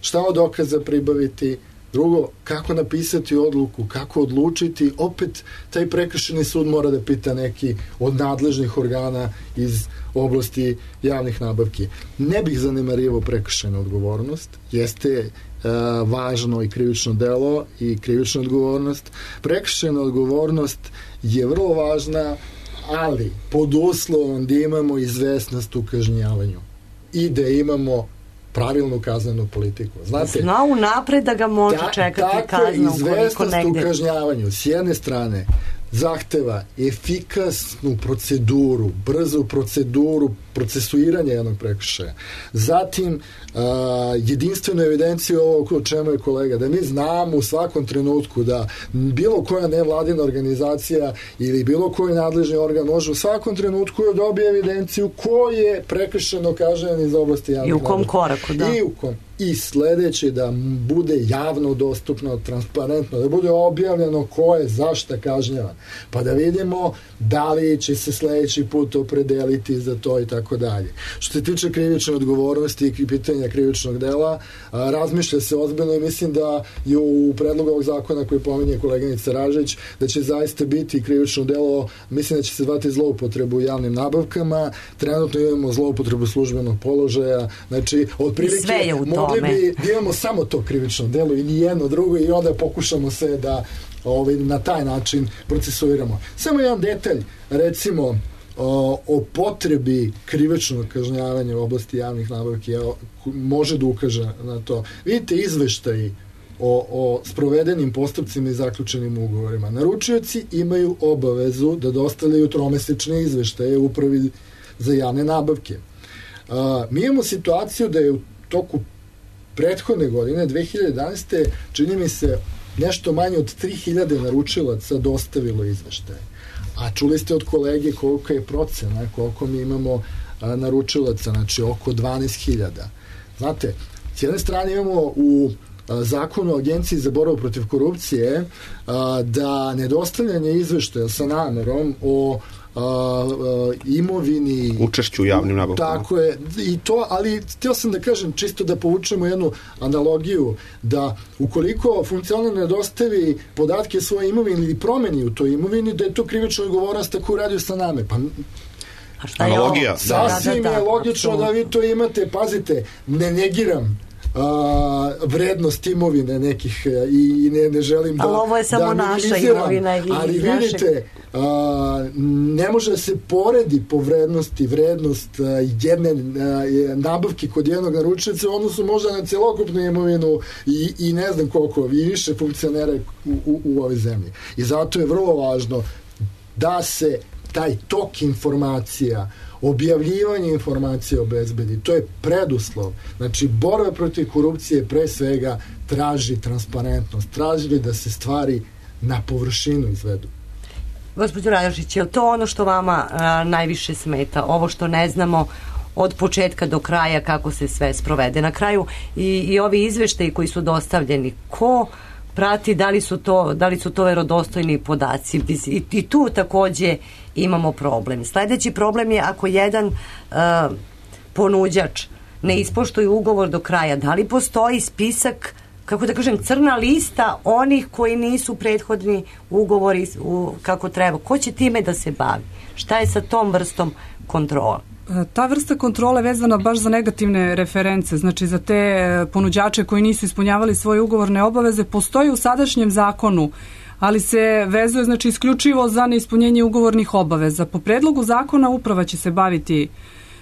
Šta od dokaza pribaviti, drugo, kako napisati odluku, kako odlučiti, opet taj prekršajni sud mora da pita neki od nadležnih organa iz oblasti javnih nabavki. Ne bih zanemarivao prekršajnu odgovornost, jeste e, važno i krivično delo i krivična odgovornost. Prekršajna odgovornost je vrlo važna, ali pod uslovom da imamo izvesnost u kažnjavanju i da imamo pravilnu kaznenu politiku. Znate, zna unapred da ga može ta, čekati kaznu ukoliko negde. Takva izvestnost u kažnjavanju s jedne strane zahteva efikasnu proceduru, brzu proceduru procesuiranja jednog prekršaja. Zatim, uh, jedinstvenu evidenciju ovog o čemu je kolega, da mi znamo u svakom trenutku da bilo koja nevladina organizacija ili bilo koji nadležni organ može u svakom trenutku da dobije evidenciju ko je prekršeno kažnjen iz oblasti javnog. I u kom koraku, da. I u kom. I sledeće da bude javno dostupno, transparentno, da bude objavljeno ko je zašta kažnjavan. Pa da vidimo da li će se sledeći put opredeliti za to i tako dalje. Što se tiče krivične odgovornosti i pitanja krivičnog dela, a, razmišlja se ozbiljno i mislim da je u predlogu ovog zakona koji pominje koleginica Ražić, da će zaista biti krivično delo, mislim da će se zvati zloupotrebu u javnim nabavkama, trenutno imamo zloupotrebu službenog položaja, znači otprilike mogli bi da imamo samo to krivično delo i nijedno drugo i onda pokušamo se da ovaj, na taj način procesuiramo. Samo jedan detalj, recimo o, o potrebi krivičnog kažnjavanja u oblasti javnih nabavki može da ukaže na to. Vidite izveštaji o, o sprovedenim postupcima i zaključenim ugovorima. Naručioci imaju obavezu da dostavljaju tromesečne izveštaje upravi za javne nabavke. A, mi imamo situaciju da je u toku prethodne godine, dve hiljade jedanaeste. čini mi se nešto manje od tri hiljade naručilaca dostavilo izveštaje. A čuli ste od kolege koliko je procena, koliko mi imamo a, naručilaca, znači oko dvanaest hiljada. Znate, s jedne strane imamo u a, zakonu o Agenciji za borbu protiv korupcije a, da nedostavljanje izveštaja sa namerom o a, a, imovini, učešću u javnim nabavkama. Tako je, i to, ali htio sam da kažem, čisto da povučemo jednu analogiju, da ukoliko funkcioner ne dostavi podatke svoje imovine ili promeni u toj imovini, da je to krivična odgovornost ako uradio sa namer. Pa a šta je analogija? Sasvim je logično da vi to imate, pazite, ne negiram a, vrednost imovine nekih i ne, ne želim da, ali ovo je samo da naša imovina i ali vidite, a, ne može da se poredi po vrednosti vrednost a, jedne a, nabavke kod jednog naručioca u odnosu možda na celokupnu imovinu i, i ne znam koliko i više funkcionera u, u, u ovoj zemlji. I zato je vrlo važno da se taj tok informacija, objavljivanje informacija obezbedi. To je preduslov. Znači, borba protiv korupcije pre svega traži transparentnost, traži da se stvari na površinu izvedu. Gospođo Radošić, je li to ono što vama a, najviše smeta? Ovo što ne znamo od početka do kraja kako se sve sprovede? Na kraju i, i ovi izveštaji koji su dostavljeni, ko prati da li su to, da li su to verodostojni podaci? I, i tu takođe imamo problem. Sledeći problem je ako jedan uh, ponuđač ne ispoštuje ugovor do kraja, da li postoji spisak, kako da kažem, crna lista onih koji nisu prethodni ugovori u, kako treba? Ko će time da se bavi? Šta je sa tom vrstom kontrola? Ta vrsta kontrole vezana baš za negativne reference, znači za te ponuđače koji nisu ispunjavali svoje ugovorne obaveze, postoji u sadašnjem zakonu, ali se vezuje znači isključivo za neispunjenje ugovornih obaveza. Po predlogu zakona uprava će se baviti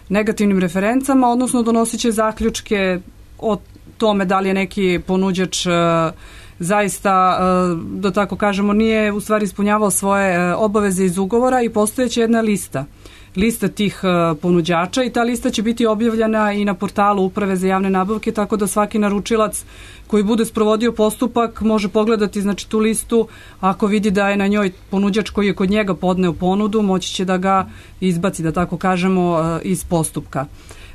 negativnim referencama, odnosno donosit će zaključke o tome da li je neki ponuđač uh, zaista, uh, da tako kažemo, nije u stvari ispunjavao svoje uh, obaveze iz ugovora i postojeće jedna lista. lista tih uh, ponuđača i ta lista će biti objavljena i na portalu Uprave za javne nabavke, tako da svaki naručilac koji bude sprovodio postupak može pogledati znači tu listu, ako vidi da je na njoj ponuđač koji je kod njega podneo ponudu, moći će da ga izbaci, da tako kažemo, uh, iz postupka.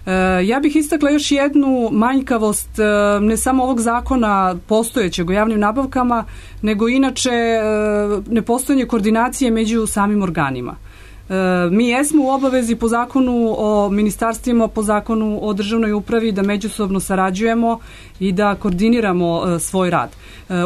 Uh, ja bih istakla još jednu manjkavost uh, ne samo ovog zakona postojećeg o javnim nabavkama, nego inače uh, nepostojanje koordinacije među samim organima. Mi jesmo u obavezi po zakonu o ministarstvima, po zakonu o državnoj upravi da međusobno sarađujemo i da koordiniramo svoj rad.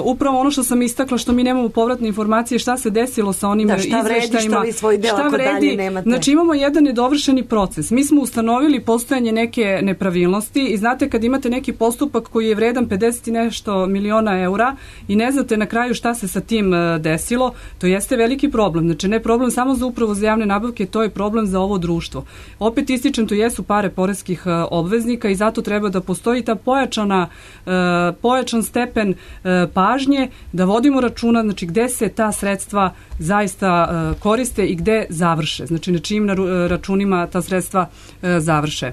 Upravo ono što sam istakla, što mi nemamo povratne informacije, šta se desilo sa onim da, šta izveštajima. Vredi, šta vi svoj deo, šta vredi, znači imamo jedan nedovršeni proces. Mi smo ustanovili postojanje neke nepravilnosti i znate kad imate neki postupak koji je vredan pedeset i nešto miliona eura i ne znate na kraju šta se sa tim desilo, to jeste veliki problem. Znači ne problem samo za upravu za javne nabavke, to je problem za ovo društvo. Opet ističem, to jesu pare poreskih obveznika i zato treba da postoji ta pojačana, pojačan stepen pažnje, da vodimo računa, znači gde se ta sredstva zaista koriste i gde završe, znači na čijim računima ta sredstva završe.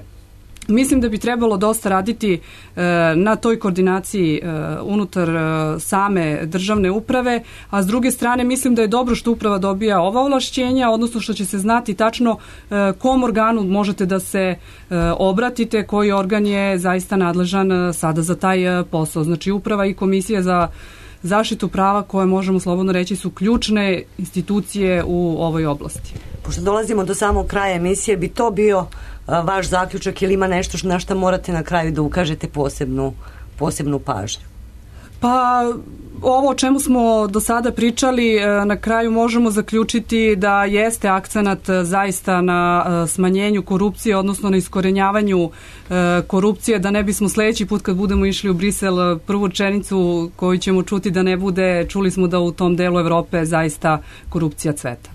Mislim da bi trebalo dosta raditi e, na toj koordinaciji e, unutar e, same državne uprave, a s druge strane mislim da je dobro što uprava dobija ova ovlašćenja, odnosno što će se znati tačno e, kom organu možete da se e, obratite, koji organ je zaista nadležan e, sada za taj e, posao. Znači uprava i komisija za zaštitu prava, koje možemo slobodno reći su ključne institucije u ovoj oblasti. Pošto dolazimo do samog kraja emisije, bi to bio a, vaš zaključak ili ima nešto na što morate na kraju da ukažete posebnu, posebnu pažnju? Pa ovo o čemu smo do sada pričali, na kraju možemo zaključiti da jeste akcenat zaista na smanjenju korupcije, odnosno na iskorenjavanju korupcije, da ne bismo sledeći put kad budemo išli u Brisel prvu rečenicu koju ćemo čuti da ne bude, čuli smo da u tom delu Evrope zaista korupcija cveta.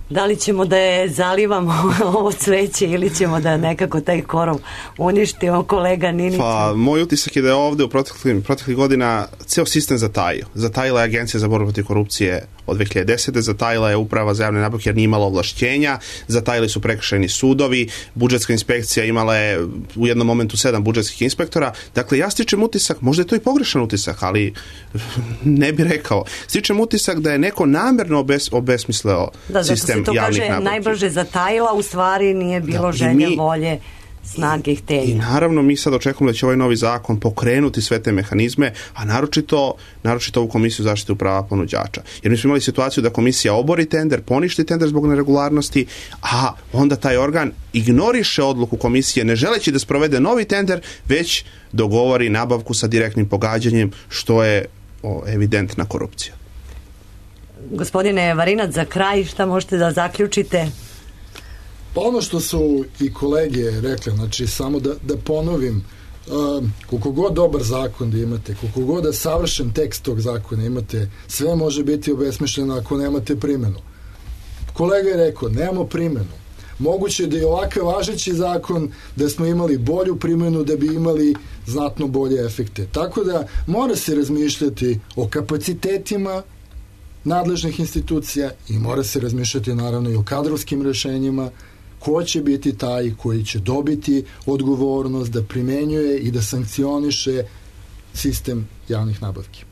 Da li ćemo da je zalivamo ovo cveće ili ćemo da nekako taj korov uništimo, kolega Ninić? Pa, moj utisak je da je ovde u proteklih, proteklih godina ceo sistem zatajio. Zatajila je Agencija za borbu protiv korupcije od dve hiljade desete. Zatajila je Uprava za javne nabavke jer nije imala ovlašćenja, zatajili su prekršajni sudovi, budžetska inspekcija imala je u jednom momentu sedam budžetskih inspektora. Dakle, ja stičem utisak, možda je to i pogrešan utisak, ali ne bi rekao. Stičem utisak da je neko namerno obes, obesmisleo da, sistem javnih nabavki. Da, zato se to kaže najbrže zatajila, u stvari nije bilo da, želje, mi, volje, snage i htenja. I naravno mi sad očekujemo da će ovaj novi zakon pokrenuti sve te mehanizme, a naročito, naročito ovu komisiju zaštite prava ponuđača. Jer mi smo imali situaciju da komisija obori tender, poništi tender zbog neregularnosti, a onda taj organ ignoriše odluku komisije ne želeći da sprovede novi tender, već dogovori nabavku sa direktnim pogađanjem, što je o, evidentna korupcija. Gospodine Varinac, za kraj šta možete da zaključite? Pa ono što su i kolege rekli, znači samo da, da ponovim, uh, koliko god dobar zakon da imate, koliko god da savršen tekst tog zakona imate, sve može biti obesmišljeno ako nemate primjenu. Kolega je rekao, nemamo primjenu. Moguće je da je ovakav važeći zakon da smo imali bolju primjenu, da bi imali znatno bolje efekte. Tako da mora se razmišljati o kapacitetima nadležnih institucija i mora se razmišljati naravno i o kadrovskim rešenjima, ko će biti taj koji će dobiti odgovornost da primenjuje i da sankcioniše sistem javnih nabavki.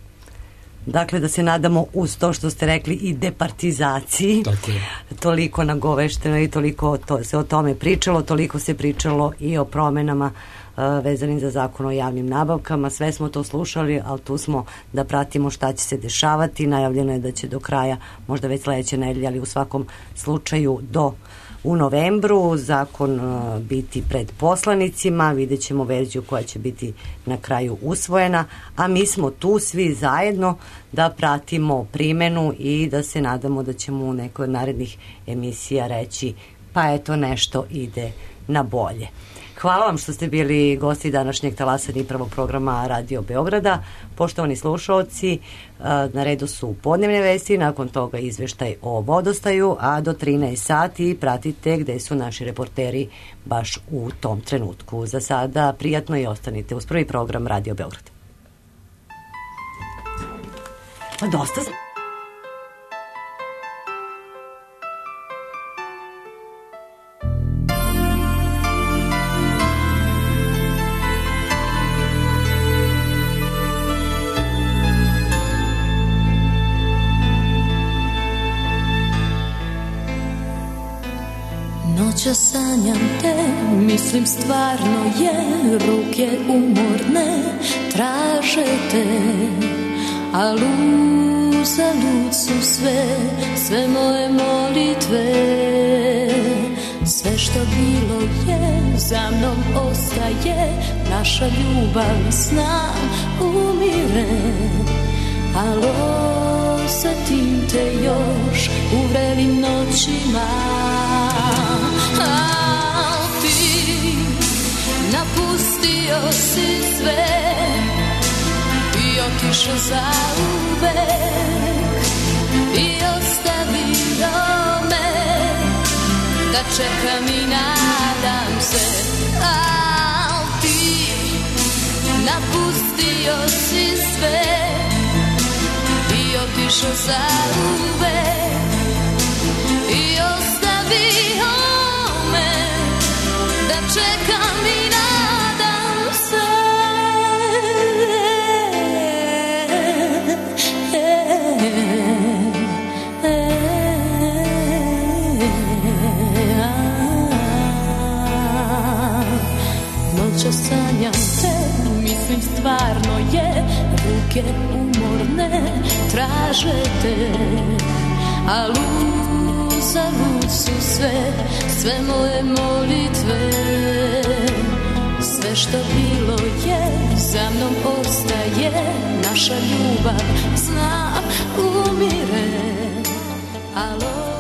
Dakle, da se nadamo uz to što ste rekli i departizaciji. Tako je. Toliko nagovešteno i toliko to, se o tome pričalo, toliko se pričalo i o promenama uh, vezanim za zakon o javnim nabavkama. Sve smo to slušali, ali tu smo da pratimo šta će se dešavati. Najavljeno je da će do kraja, možda već sledeće nedelje, ali u svakom slučaju do u novembru zakon uh, biti pred poslanicima, vidjet ćemo verziju koja će biti na kraju usvojena, a mi smo tu svi zajedno da pratimo primenu i da se nadamo da ćemo u nekoj od narednih emisija reći pa eto nešto ide na bolje. Hvala vam što ste bili gosti današnjeg talasa i prvog programa Radio Beograda. Poštovani slušaoci, na redu su podnevne vesti, nakon toga izveštaj o vodostaju, a do trinaest sati pratite gde su naši reporteri baš u tom trenutku. Za sada prijatno i ostanite uz prvi program Radio Beograd. Pa dosta... Noća sanjam te, mislim stvarno je, ruke umorne traže te, a uzalud su sve, sve moje molitve. Sve što bilo je, za mnom ostaje, naša ljubav znam umire, alo, osjetim te još u vrelim noćima. A ti napustio si sve i otišao za uvek i ostavio me da čekam i nadam se. A ti napustio si sve i otišao za uvek i ostavio me da čekam i nadam se. Noća sanjam te, mislim stvarno je, ruke umorne traže te, a uzalud su sve, sve moje molitve. Sve što bilo je, za mnom ostaje, naša ljubav znam umire, alo.